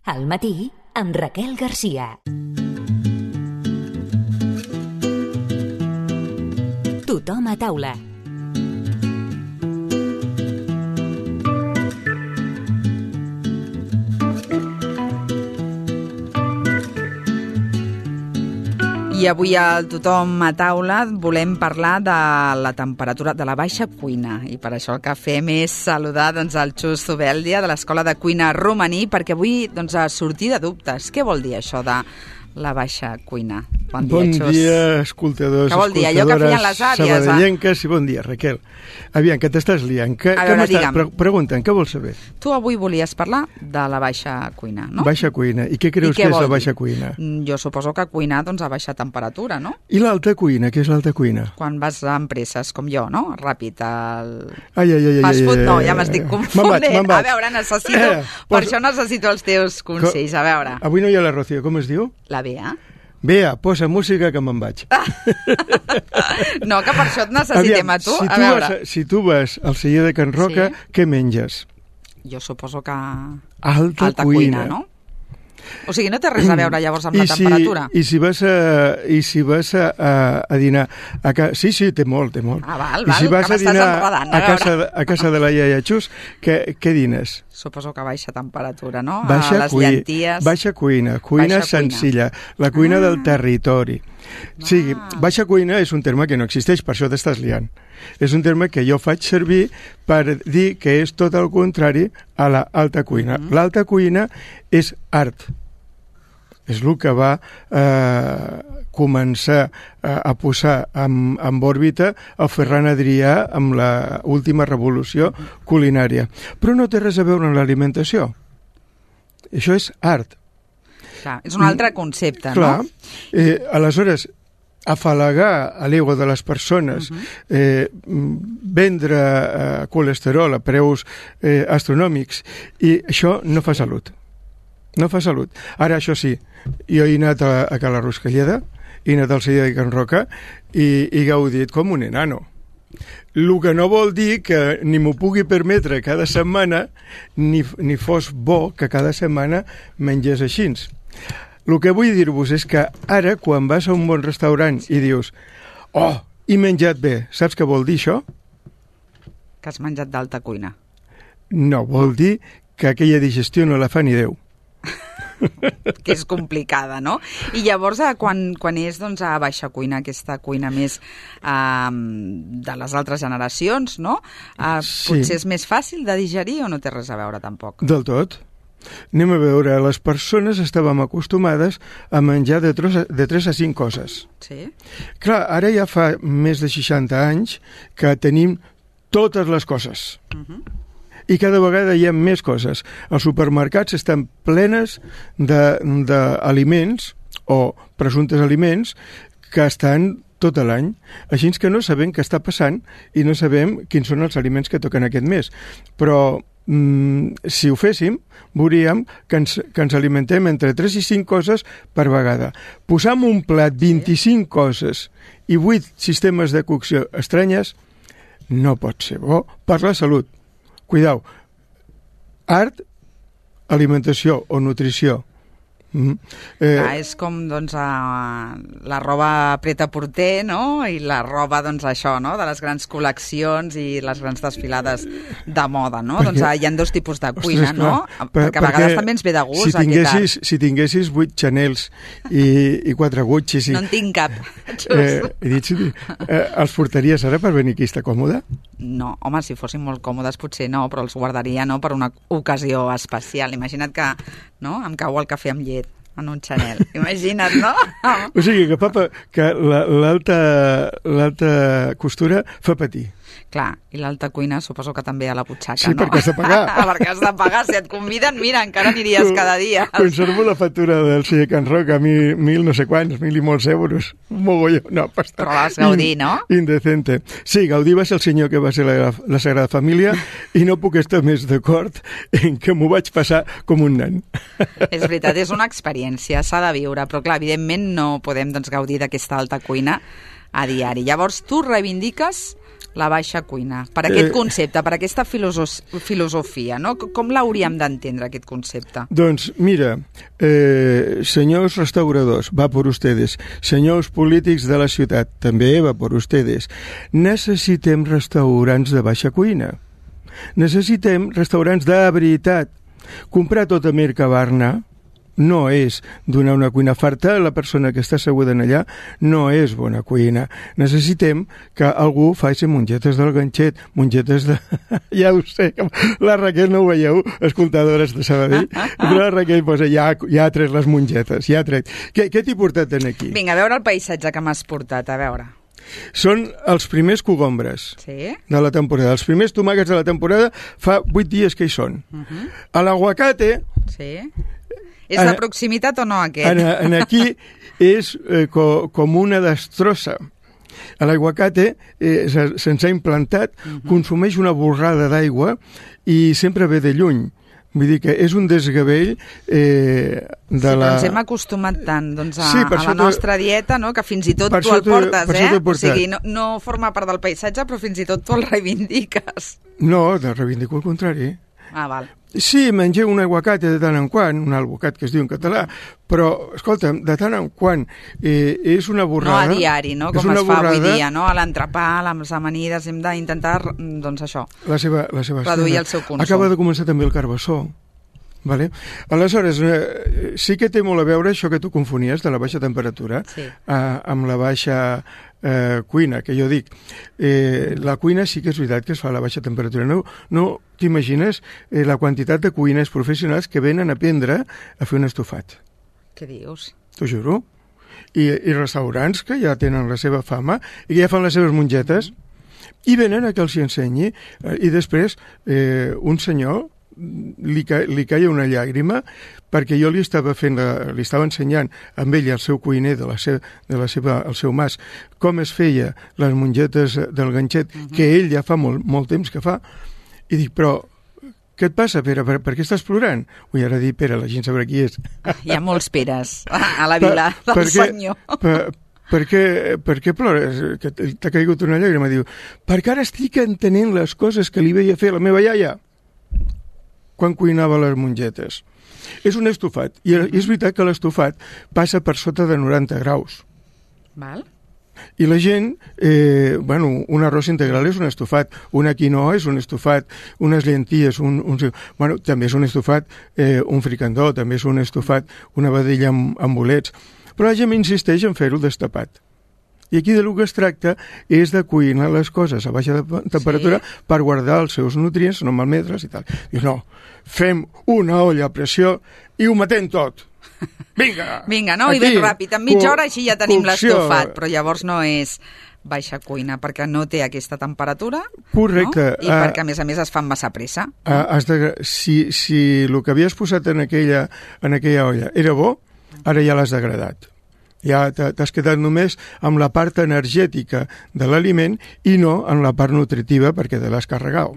Al matí, amb Raquel Garcia. Tothom a taula. I avui al Tothom a taula volem parlar de la temperatura de la baixa cuina. I per això el que fem és saludar el Xus Zubeldia de l'Escola de Cuina Romaní, perquè avui sortir de dubtes. Què vol dir això de la baixa cuina? Bon dia, escoltadors, què vol dir? Allò que feien les àvies, sabadellenques, i bon dia, Raquel. Aviam, que t'estàs liant. Pregunten, què vols saber? Tu avui volies parlar de la baixa cuina, no? Baixa cuina. I què creus que és la baixa cuina? Jo suposo que cuinar a baixa temperatura, no? I l'alta cuina? Què és l'alta cuina? Quan vas a empreses com jo, no? Ràpid, fast food, no, ja m'estic confonent. Me'n vaig. A veure, per això necessito els teus consells, a veure. Avui no hi ha la Rocío, com es diu? La Bea. Bea, posa música que me'n vaig. No, que per això et necessitem a tu. Si tu vas al celler de Can Roca, què menges? Jo suposo que... Alta cuina, no? O sigui, no té res a veure llavors amb la temperatura. I si vas a dinar a casa... Sí, té molt. Val, I si vas a dinar a casa de la iaia Xus, què dines? Suposo que baixa temperatura, no? Les llenties... Baixa cuina senzilla, la cuina del territori. Sí, baixa cuina és un terme que no existeix, per això t'estàs liant. És un terme que jo faig servir per dir que és tot el contrari a l'alta cuina. L'alta cuina és art. És el que va començar a posar en òrbita el Ferran Adrià amb l'última revolució culinària. Però no té res a veure amb l'alimentació. Això és art. Clar, és un altre concepte, no? Clar. Aleshores, afalagar a l'ego de les persones, vendre colesterol a preus astronòmics, i això no fa salut. No fa salut. Ara, això sí, jo he anat a Cala Ruscalleda, he anat al celler de Can Roca i he gaudit com un enano. El que no vol dir que ni m'ho pugui permetre cada setmana, ni fos bo que cada setmana mengés així. El que vull dir-vos és que ara, quan vas a un bon restaurant i dius he menjat bé, saps què vol dir això? Que has menjat d'alta cuina. No, vol dir que aquella digestió no la fa ni Déu. Que és complicada, no? I llavors, quan és a baixa cuina, aquesta cuina més de les altres generacions, no? Potser és més fàcil de digerir o no té res a veure tampoc? Del tot. Anem a veure, les persones estàvem acostumades a menjar de 3 a 5 coses. Sí. Clar, ara ja fa més de 60 anys que tenim totes les coses. I cada vegada hi ha més coses. Els supermercats estan plenes d'aliments o presumptes aliments que estan tot l'any. Així que no sabem què està passant i no sabem quins són els aliments que toquen aquest mes. Però si ho féssim, veuríem que ens alimentem entre 3 i 5 coses per vegada. Posar en un plat 25 coses i 8 sistemes de cocció estranyes no pot ser bo per la salut. Cuidao, art, alimentació o nutrició. És com la roba prêt-à-porter, no? I la roba, això, no? De les grans col·leccions i les grans desfilades de moda, no? Hi ha 2 tipus de cuina, no? Perquè a vegades també ens ve de gust si tinguessis 8 Chanels i 4 Guccis... No en tinc cap. Els portaries ara per venir aquí, està còmode? No, home, si fossin molt còmodes potser no, però els guardaria per una ocasió especial. Imagina't que em cau el cafè amb llet en un Chanel. Imagina't, no? O sigui que l'alta costura fa patir. Clar, i l'alta cuina suposo que també a la butxaca, sí, no? Sí, perquè has de pagar. Perquè has de pagar. Si et conviden, mira, encara aniries cada dia. Conservo la factura del celler Can Roca, 1.000 no sé quants, 1.000 i molts euros. Un mogolló. No, però vas gaudir, no? Indecente. Sí, Gaudí va ser el senyor que va ser la Sagrada Família i no puc estar més d'acord en que m'ho vaig passar com un nen. És veritat, és una experiència, s'ha de viure, però clar, evidentment no podem gaudir d'aquesta alta cuina a diari. Llavors, tu reivindiques la baixa cuina? Per aquest concepte, per aquesta filosofia, no? Com l'hauríem d'entendre, aquest concepte? Doncs, mira, senyors restauradors, va por ustedes. Senyors polítics de la ciutat, també va por ustedes. Necessitem restaurants de baixa cuina. Necessitem restaurants de veritat. Comprar tota Mercabarna no és donar una cuina farta a la persona que està asseguda allà, no és bona cuina. Necessitem que algú faci mongetes del ganxet, mongetes de... Ja ho sé, la Raquel no ho veieu, escoltadores de Sabadell, però la Raquel posa, ja ha tret les mongetes, ja ha tret. Què t'he portat aquí? Vinga, a veure el paisatge que m'has portat, a veure. Són els primers cogombres de la temporada. Els primers tomàquets de la temporada fa 8 dies que hi són. A l'aguacate... Sí. És de proximitat o no, aquest? Aquí és com una destrossa. L'aguacate se'ns ha implantat, consumeix una borrada d'aigua i sempre ve de lluny. Vull dir que és un desgavell però ens hem acostumat tant a la nostra dieta, no? Que fins i tot tu el portes, O sigui, no forma part del paisatge, però fins i tot tu el reivindiques. No, reivindico el contrari. Val. Sí, mengé un aguacate de tant en quant, un albocat que es diu en català, però, escolta'm, de tant en quant és una borrada... No a diari, no? Com es fa avui dia, no? A l'entrepà, a les amanides, hem d'intentar, doncs això, reduir el seu consum. Acaba de començar també el carbassó. Vale? Aleshores, sí que té molt a veure això que tu confonies de la baixa temperatura amb la baixa cuina, que jo dic. La cuina sí que és veritat que es fa a la baixa temperatura. No t'imagines la quantitat de cuines professionals que venen a aprendre a fer un estofat. Què dius? T'ho juro. I restaurants que ja tenen la seva fama i que ja fan les seves mongetes i venen a que els hi ensenyi. I després un senyor li caia una llàgrima perquè jo li estava ensenyant amb ell el seu cuiner el seu mas com es feia les mongetes del ganxet que ell ja fa molt temps que fa i dic, però què et passa, Pere? Per què estàs plorant? Ui, ara dir Pere, la gent sabrà qui és. Hi ha molts Peres a la vila del senyor. Per què plores? Que t'ha caigut una llàgrima. Diu, perquè ara estic entenent les coses que li veia fer la meva iaia quan cuinava les mongetes. És un estofat, i és veritat que l'estofat passa per sota de 90 graus. Val. I la gent, un arròs integral és un estofat, una quinoa és un estofat, unes llenties, també és un estofat, un fricandó, també és un estofat, una vedella amb bolets, però la gent insisteix en fer-ho destapat. I aquí del que es tracta és de cuinar les coses a baixa temperatura per guardar els seus nutrients, no malmetre's i tal. Dius, no, fem una olla a pressió i ho matem tot. Vinga! Vinga, no? I ben ràpid, en mitja hora així ja tenim l'estofat, però llavors no és baixa cuina, perquè no té aquesta temperatura. Correcte. No? I perquè, a més, es fa amb massa pressa. Si el que havies posat en aquella olla era bo, ara ja l'has degradat. Ja t'has quedat només amb la part energètica de l'aliment i no amb la part nutritiva perquè te l'has carregat.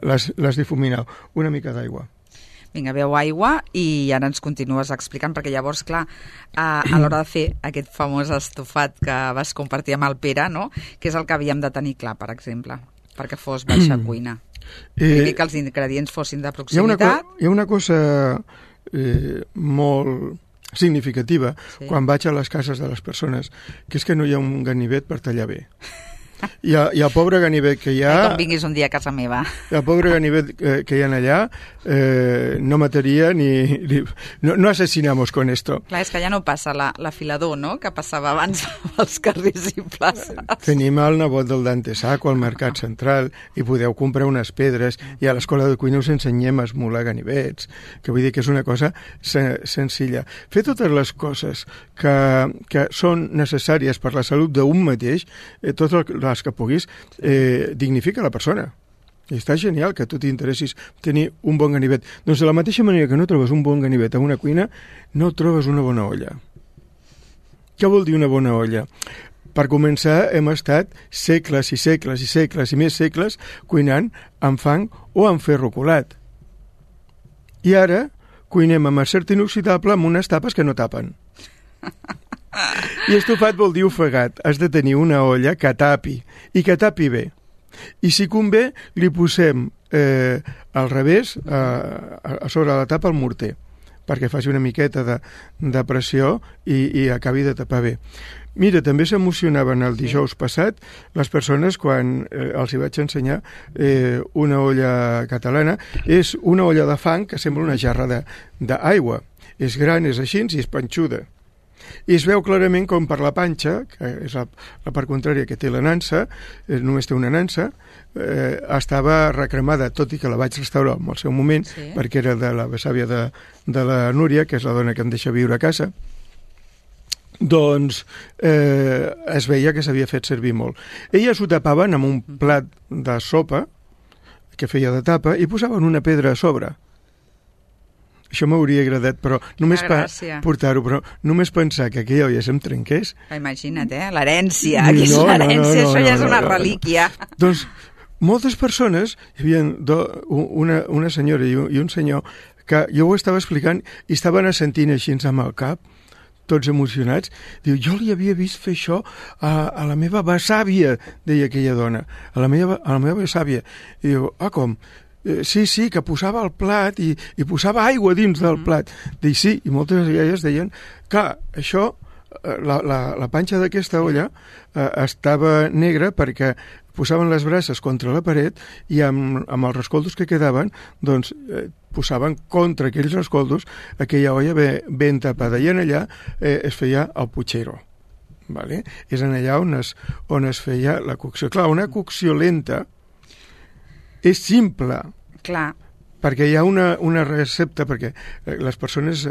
L'has difuminat. Una mica d'aigua. Vinga, beu aigua i ara ens continues explicant, perquè llavors, clar, a l'hora de fer aquest famós estofat que vas compartir amb el Pere, no? Que és el que havíem de tenir clar, per exemple, perquè fos baixa cuina. Que els ingredients fossin de proximitat. Hi ha una cosa molt significativa quan vaig a les cases de les persones, que és que no hi ha un ganivet per tallar bé. I el pobre ganivet que hi ha... Com vinguis un dia a casa meva. El pobre ganivet que hi ha allà no mataria ni... No assassinamos con esto. Clar, és que ja no passa l'afilador, no?, que passava abans als carrers i places. Tenim el nebot del Dante Sacco al Mercat Central i podeu comprar unes pedres i a l'escola de cuina us ensenyem a esmolar ganivets, que vull dir que és una cosa senzilla. Fer totes les coses que són necessàries per la salut d'un mateix, totes les que puguis, dignifica la persona. I està genial que tu t'interessis tenir un bon ganivet. Doncs de la mateixa manera que no trobes un bon ganivet en una cuina, no trobes una bona olla. Què vol dir una bona olla? Per començar, hem estat segles i segles i segles i més segles cuinant amb fang o amb ferro colat. I ara cuinem amb acer inoxidable amb unes tapes que no tapen. I estofat vol dir ofegat. Has de tenir una olla que tapi, i que tapi bé. I si convé, li posem al revés, a sobre la tapa, el morter, perquè faci una miqueta de pressió i acabi de tapar bé. Mira, també s'emocionaven el dijous passat les persones quan els hi vaig ensenyar una olla catalana. És una olla de fang que sembla una jarra d'aigua. És gran, és així i és panxuda. I es veu clarament com per la panxa, que és la part contrària que té la nansa, només té una nansa, estava recremada, tot i que la vaig restaurar en el seu moment, perquè era de la besàvia de la Núria, que és la dona que em deixa viure a casa. Doncs es veia que s'havia fet servir molt. Elles ho tapaven amb un plat de sopa que feia de tapa i posaven una pedra a sobre. Això m'hauria agradat, però només portar-ho, però només pensar que aquella olla se'm trenqués... Imagina't, l'herència, l'herència, això ja és una relíquia. Doncs moltes persones, hi havia una senyora i un senyor, que jo ho estava explicant i estaven assentint així amb el cap, tots emocionats. Diu, jo li havia vist fer això a la meva besàvia, deia aquella dona, a la meva besàvia. I diu, com? Sí, que posava el plat i posava aigua dins del plat. Dic, sí, i moltes d'elles deien que això, la panxa d'aquesta olla estava negra perquè posaven les braces contra la paret i amb els rescoldos que quedaven, doncs posaven contra aquells rescoldos aquella olla ben tapada. I en allà es feia el puchero. Vale? És en allà on es feia la cocció. Clar, una cocció lenta és simple. Clar. Perquè hi ha una recepta, perquè les persones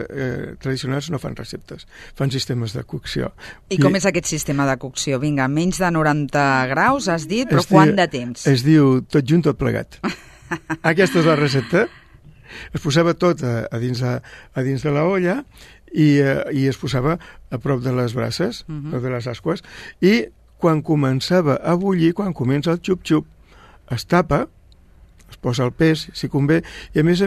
tradicionals no fan receptes, fan sistemes de cocció. I com és aquest sistema de cocció? Vinga, menys de 90 graus, has dit, però quant de temps? Es diu tot junt, tot plegat. Aquesta és la recepta. Es posava tot a dins de la olla i es posava a prop de les braces, de les asques, i quan començava a bullir, quan comença el xup-xup, es tapa, es posa el pes, si convé, i a més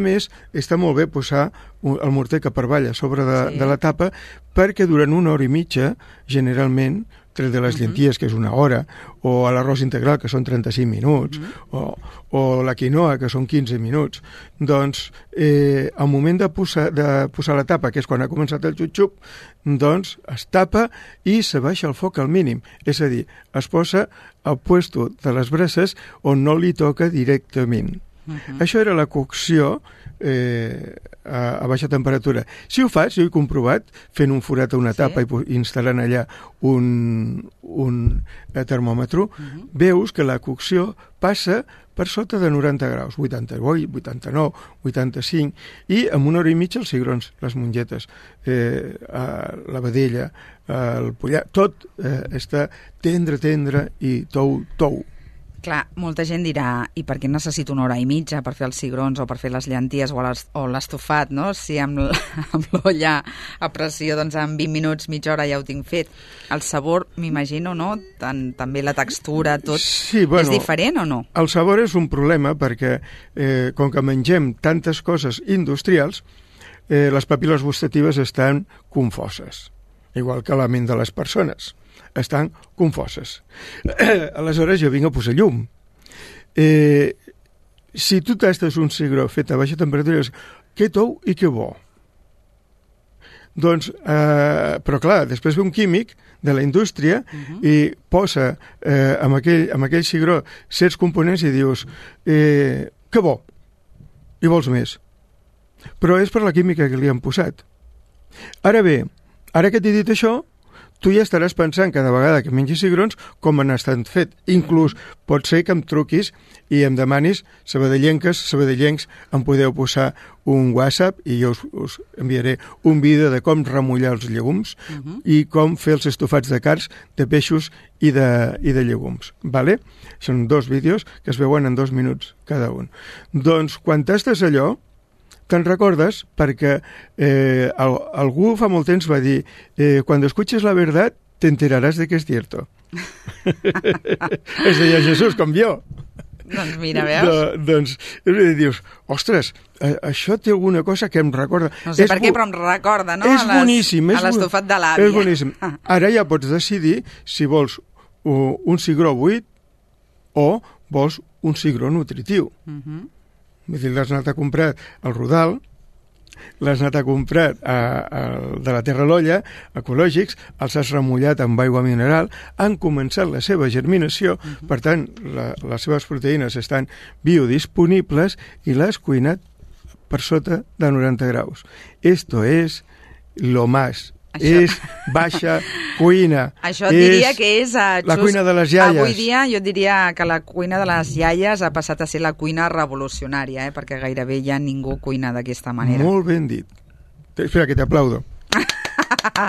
està molt bé posar el morter que per avall a sobre de la tapa, perquè durant 1 hora i mitja, generalment, tret de les llenties, que és 1 hora, o a l'arròs integral, que són 35 minuts, o la quinoa, que són 15 minuts, doncs, al moment de posar la tapa, que és quan ha començat el xup-xup, doncs es tapa i se baixa el foc al mínim. És a dir, es posa al puesto de les braces on no li toca directament. Això era la cocció a baixa temperatura. Si ho fas, jo he comprovat, fent un forat a una tapa i instal·lant allà un termòmetre, veus que la cocció passa per sota de 90 graus, 88, 89, 85, i en 1 hora i mitja els cigrons, les mongetes, la vedella, el pollar, tot està tendre i tou. Clar, molta gent dirà, i per què necessito 1 hora i mitja per fer els cigrons o per fer les llenties o l'estofat, no? Si amb l'olla a pressió, doncs en 20 minuts, mitja hora ja ho tinc fet. El sabor, m'imagino, no? També la textura, tot, sí, bueno, és diferent o no? El sabor és un problema perquè, com que mengem tantes coses industrials, les papil·les gustatives estan confoses, igual que la ment de les persones. Estan confoses. Aleshores jo vinc a posar llum. Si tu tastes un cigró fet a baixa temperatura, que tou i que bo. Doncs, però clar, després ve un químic de la indústria i posa amb aquell cigró certs components i dius que bo, i vols més. Però és per la química que li han posat. Ara bé, ara que t'he dit això, tu ja estaràs pensant cada vegada que mengis cigrons com han estat fet. Inclús pot ser que em truquis i em demanis, sabadellencs, em podeu posar un WhatsApp i jo us enviaré un vídeo de com remullar els llegums i com fer els estofats de carns, de peixos i de llegums. Vale? Són 2 vídeos que es veuen en 2 minuts cada un. Doncs quan tastes allò, te'n recordes perquè algú fa molt temps va dir quan escuches la verdad te enterarás de que es cierto. Es deia Jesús, com jo. Doncs mira, veus? Doncs dius, ostres, això té alguna cosa que em recorda. No sé per què, però em recorda, no? És boníssim. A l'estofat de l'àvia. És boníssim. Ara ja pots decidir si vols un cigró buit o vols un cigró nutritiu. Vull dir, l'has anat a comprar al Rodal, l'has anat a comprar de la Terra l'Olla, ecològics, els has remullat amb aigua mineral, han començat la seva germinació, per tant, les seves proteïnes estan biodisponibles i l'has cuinat per sota de 90 graus. Esto es lo más. És baixa cuina. Això et diria que és... la cuina de les iaies. Avui dia jo diria que la cuina de les iaies ha passat a ser la cuina revolucionària, perquè gairebé ja ningú cuina d'aquesta manera. Molt ben dit. Espera, que t'aplaudo.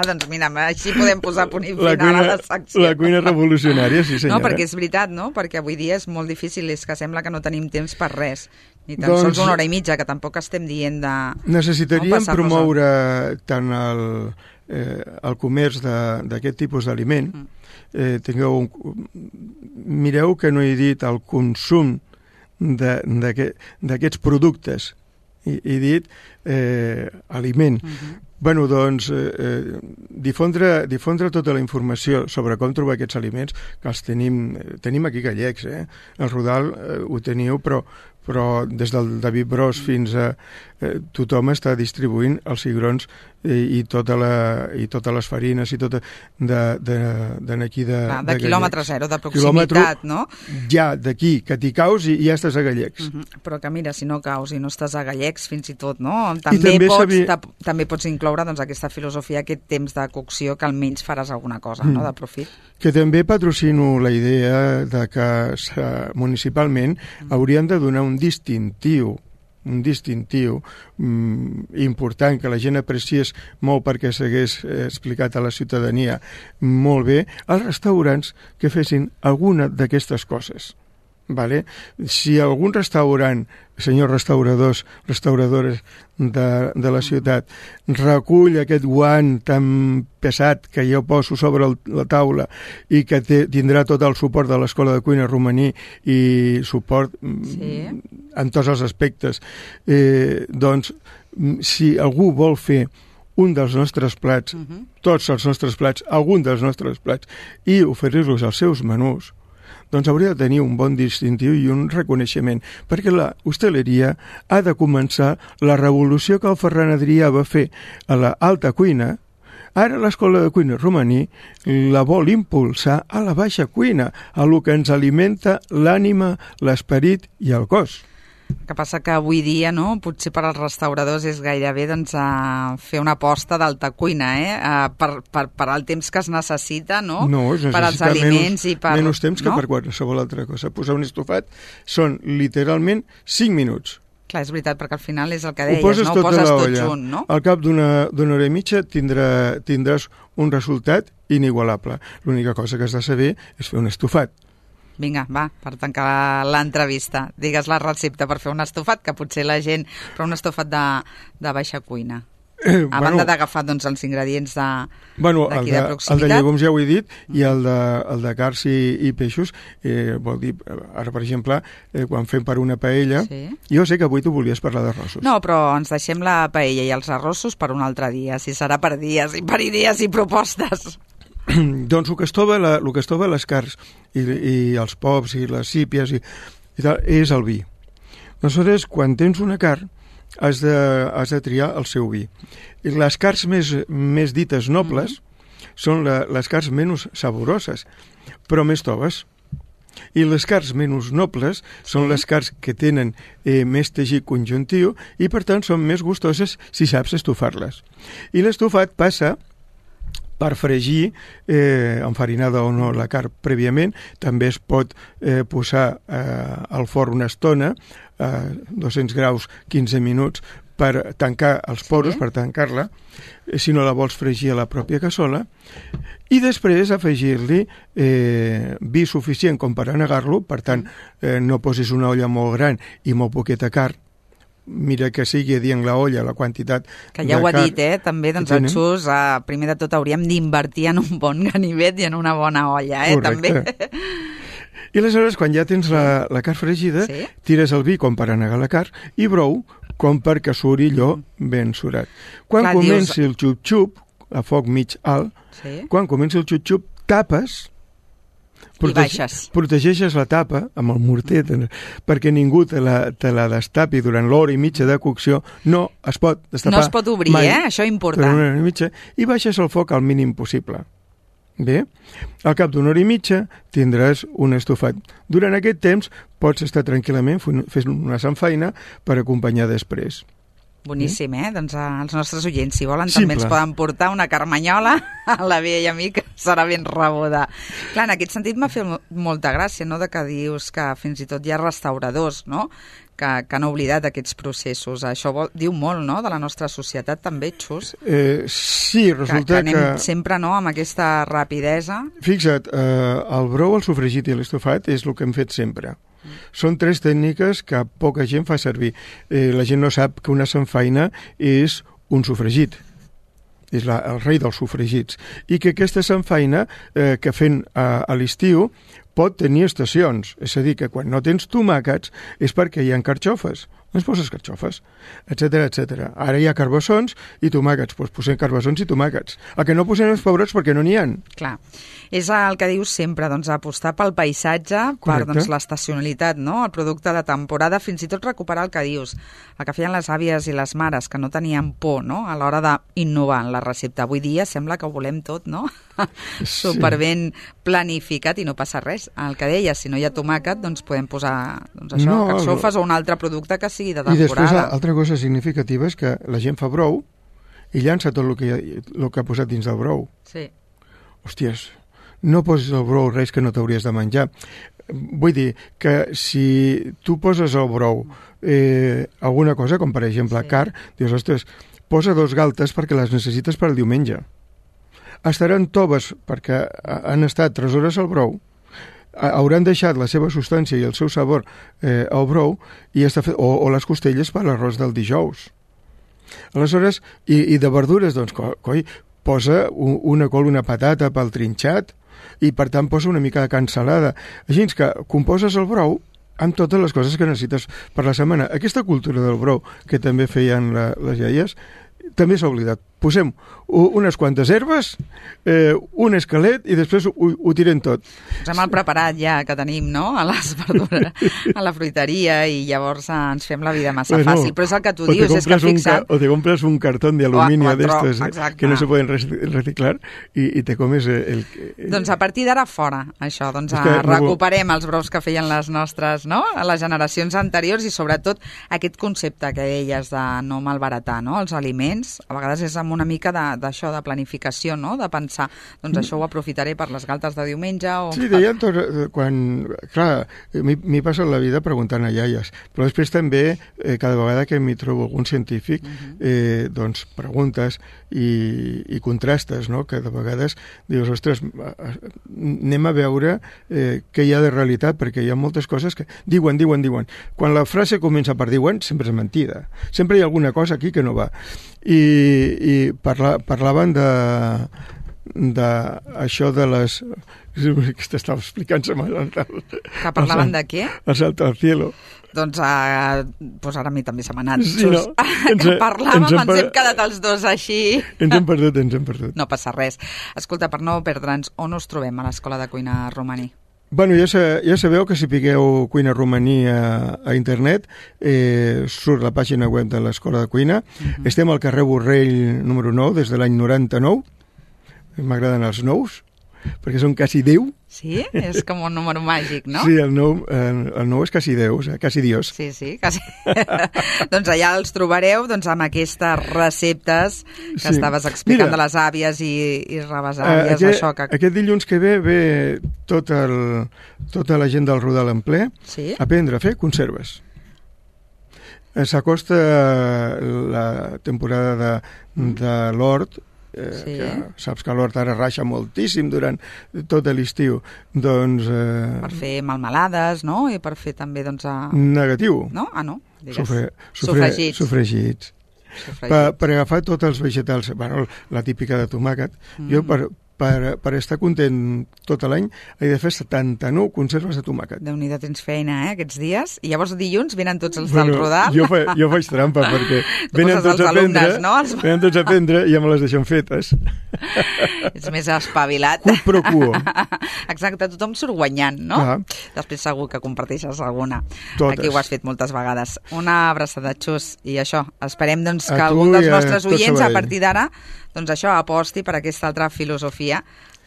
Doncs mira, així podem posar punt i final a la secció. La cuina revolucionària, sí senyora. No, perquè és veritat, no? Perquè avui dia és molt difícil, és que sembla que no tenim temps per res. Ni tan sols una hora i mitja, que tampoc estem dient de... Necessitaríem promoure tant el comerç d'aquest tipus d'aliment. Mireu que no he dit el consum d'aquests productes. He dit aliment. Bueno, doncs, difondre tota la informació sobre com trobar aquests aliments, que els tenim aquí gallecs, El Rodal ho teniu, però des del David Bros fins a tothom està distribuint els cigrons i totes les farines i tot d'aquí de quilòmetre zero, de proximitat, no? Ja, d'aquí, que t'hi caus i ja estàs a Gallecs. Però que mira, si no caus i no estàs a Gallecs, fins i tot, no? També pots incloure doncs, aquesta filosofia, aquest temps de cocció, que almenys faràs alguna cosa, no?, de profit. Que també patrocino la idea de que municipalment haurien de donar un distintiu important, que la gent apreciés molt perquè s'hagués explicat a la ciutadania molt bé, als restaurants que fessin alguna d'aquestes coses. Vale? Si algun restaurant, senyors restauradores de la ciutat, recull aquest guant tan pesat que jo poso sobre la taula i que tindrà tot el suport de l'Escola de Cuina Romaní i suport en tots els aspectes, doncs si algú vol fer un dels nostres plats, tots els nostres plats, algun dels nostres plats, i oferir-los als seus menús, doncs hauria de tenir un bon distintiu i un reconeixement, perquè la hostaleria ha de començar la revolució que el Ferran Adrià va fer a l'alta cuina. Ara l'Escola de Cuina Romaní la vol impulsar a la baixa cuina, a lo que ens alimenta l'ànima, l'esperit i el cos. El que passa que avui dia, no, potser per als restauradors és gairebé doncs, fer una aposta d'alta cuina, per al temps que es necessita, no? Per als aliments i per... Menys temps que per qualsevol altra cosa. Posar un estofat són literalment 5 minuts. Clar, és veritat, perquè al final és el que deies, ho poses tot junt, no? Al cap d'una hora i mitja tindràs un resultat inigualable. L'única cosa que has de saber és fer un estofat. Vinga, va, per tancar l'entrevista. Digues la recepta per fer un estofat, que potser la gent... Però un estofat de baixa cuina. A banda d'agafar doncs, els ingredients d'aquí de proximitat. El de llegums ja ho he dit, i el de carns i peixos, vol dir, ara per exemple, quan fem per una paella, jo sé que avui tu volies parlar d'arrossos. No, però ens deixem la paella i els arrossos per un altre dia, si serà per dies i per idees i propostes. Doncs el que es troba les carns i els pops i les sípies i tal, és el vi. Aleshores, quan tens una carn, has de triar el seu vi. I les carns més dites nobles són les carns menys saboroses, però més toves. I les carns menys nobles són les carns que tenen més teixit conjuntiu i, per tant, són més gustoses si saps estofar-les. I l'estofat passa per fregir, enfarinada o no la carn prèviament. També es pot posar al forn una estona, a 200 graus, 15 minuts, per tancar els poros, per tancar-la, si no la vols fregir a la pròpia cassola, i després afegir-li vi suficient com per anegar-lo, per tant, no posis una olla molt gran i molt poqueta carn, mira que sigui dient la olla, la quantitat... Que ja ho ha dit, també, doncs el Xus, primer de tot hauríem d'invertir en un bon ganivet i en una bona olla, Correcte. També. I aleshores, quan ja tens la carn fregida, tires el vi com per anegar la carn i brou com perquè suri allò ben surat. Quan comenci el xup-xup, a foc mig alt, quan comenci el xup-xup, tapes, protegeixes la tapa amb el morter perquè ningú te la destapi durant l'hora i mitja de cocció. No es pot destapar mai. No es pot obrir, això és important. Una hora i mitja, i baixes el foc al mínim possible. Bé, al cap d'una hora i mitja tindràs un estofat. Durant aquest temps pots estar tranquil·lament fent una samfaina per acompanyar després. Boníssim, Doncs els nostres oients, si volen, també ens poden portar una carmanyola a la vella amiga, que serà ben rebuda. Clar, en aquest sentit m'ha fet molta gràcia, no?, de que dius que fins i tot hi ha restauradors, no?, que han oblidat aquests processos. Això diu molt, no?, de la nostra societat també, Xus. Sí, resulta que anem sempre, no?, amb aquesta rapidesa. Fixa't, el brou, el sofregit i l'estofat és el que hem fet sempre. Són 3 tècniques que poca gent fa servir. La gent no sap que una samfaina és un sofregit. És el rei dels sofregits. I que aquesta samfaina que fem a l'estiu pot tenir estacions. És a dir, que quan no tens tomàquets és perquè hi ha carxofes. Doncs poses carxofes, etc etc. Ara hi ha carbassons i tomàquets, doncs posem carbassons i tomàquets. El que no posem els pebrots perquè no n'hi ha. Clar, és el que dius sempre, doncs, apostar pel paisatge, per l'estacionalitat, no?, el producte de temporada, fins i tot recuperar el que dius, el que feien les àvies i les mares, que no tenien por, no?, a l'hora d'innovar en la recepta. Avui dia sembla que ho volem tot, no?, superben planificat i no passa res. El que deies, si no hi ha tomàquet, doncs podem posar carxofes o un altre producte que sigui de temporada. I després, altra cosa significativa és que la gent fa brou i llança tot el que ha posat dins del brou. Sí. Hòsties, no posis al brou res que no t'hauries de menjar. Vull dir que si tu poses al brou alguna cosa, com per exemple carn, dius, ostres, posa 2 galtes perquè les necessites per al diumenge. Estaran toves perquè han estat 3 hores al brou, hauran deixat la seva substància i el seu sabor al brou i o les costelles per l'arròs del dijous. Aleshores, i de verdures, doncs, coi, posa una col, una patata pel trinxat i, per tant, posa una mica de cansalada. Així que composes el brou amb totes les coses que necessites per la setmana. Aquesta cultura del brou que també feien les iaies també s'ha oblidat. Posem unes quantes herbes, un esquelet i després ho tirem tot. Posem el preparat ja que tenim, no?, a les verdures, a la fruiteria, i llavors ens fem la vida massa fàcil. Però és el que tu dius, és que fixa't... O te compres un cartón de aluminio d'estos que no se poden reciclar i te comes el... Doncs a partir d'ara fora, això. Doncs recuperem els brous que feien les nostres, no?, a les generacions anteriors, i sobretot aquest concepte que deies de no malbaratar, no?, els aliments. A vegades és amb una mica d'això, de planificació, no?, de pensar, doncs això ho aprofitaré per les galtes de diumenge o... Sí, deien quan... Clar, m'hi passa la vida preguntant a iaies, però després també, cada vegada que m'hi trobo algun científic, doncs preguntes i contrastes, no?, que de vegades dius, ostres, anem a veure què hi ha de realitat, perquè hi ha moltes coses que diuen. Quan la frase comença per diuen, sempre és mentida. Sempre hi ha alguna cosa aquí que no va. I parlaven d'això de les... que t'estava explicant que parlaven de què? El salto al cielo. Doncs ara a mi també se m'ha anat. Sí, no? Que parlàvem, ens hem quedat els dos així. Ens hem perdut. No passa res. Escolta, per no perdre'ns, on us trobem a l'Escola de Cuina Romaní? Bueno, ja sabeu que si piqueu Cuina Romaní a internet, surt la pàgina web de l'Escola de Cuina. Estem al carrer Borrell número 9 des de l'any 99. M'agraden els nous, perquè són quasi 10. Sí? És com un número màgic, no? Sí, el 9 és quasi 10, quasi Dios. Sí, quasi. Doncs allà els trobareu amb aquestes receptes que estaves explicant. Mira, de les àvies i rebesàvies. Aquest dilluns que ve tota la gent del Rodal en ple a aprendre a fer conserves. S'acosta la temporada de l'hort, que saps que l'hort ara raixa moltíssim durant tot l'estiu, doncs... per fer melmelades, no? I per fer també, doncs... Negatiu. No? No. Sofregits. Per agafar tots els vegetals, bueno, la típica de tomàquet, jo per per estar content tot l'any, he de fer 79 conserves de tomàquet. Déu-n'hi-do, tens feina, aquests dies. I llavors dilluns venen tots els del Rodal. Jo faig trampa, perquè venen tots a prendre, venen tots a prendre i ja me les deixen fetes. Ets més espavilat. Quid pro quo. Exacte, tothom surt guanyant, no? Clar. Després segur que comparteixes alguna. Totes. Aquí ho has fet moltes vegades. Una abraçada, Xus. I això, esperem doncs, que A tu algun dels i a nostres tot oients, a Sabadell. partir d'ara, doncs això, aposti per aquesta altra filosofia,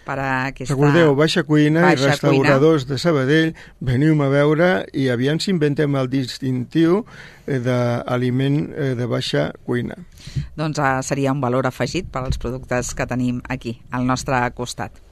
per aquesta... Recordeu, Baixa Cuina i Baixa restauradors de Sabadell, veniu-me a veure i aviam si inventem el distintiu d'aliment de baixa cuina. Doncs seria un valor afegit per als productes que tenim aquí, al nostre costat.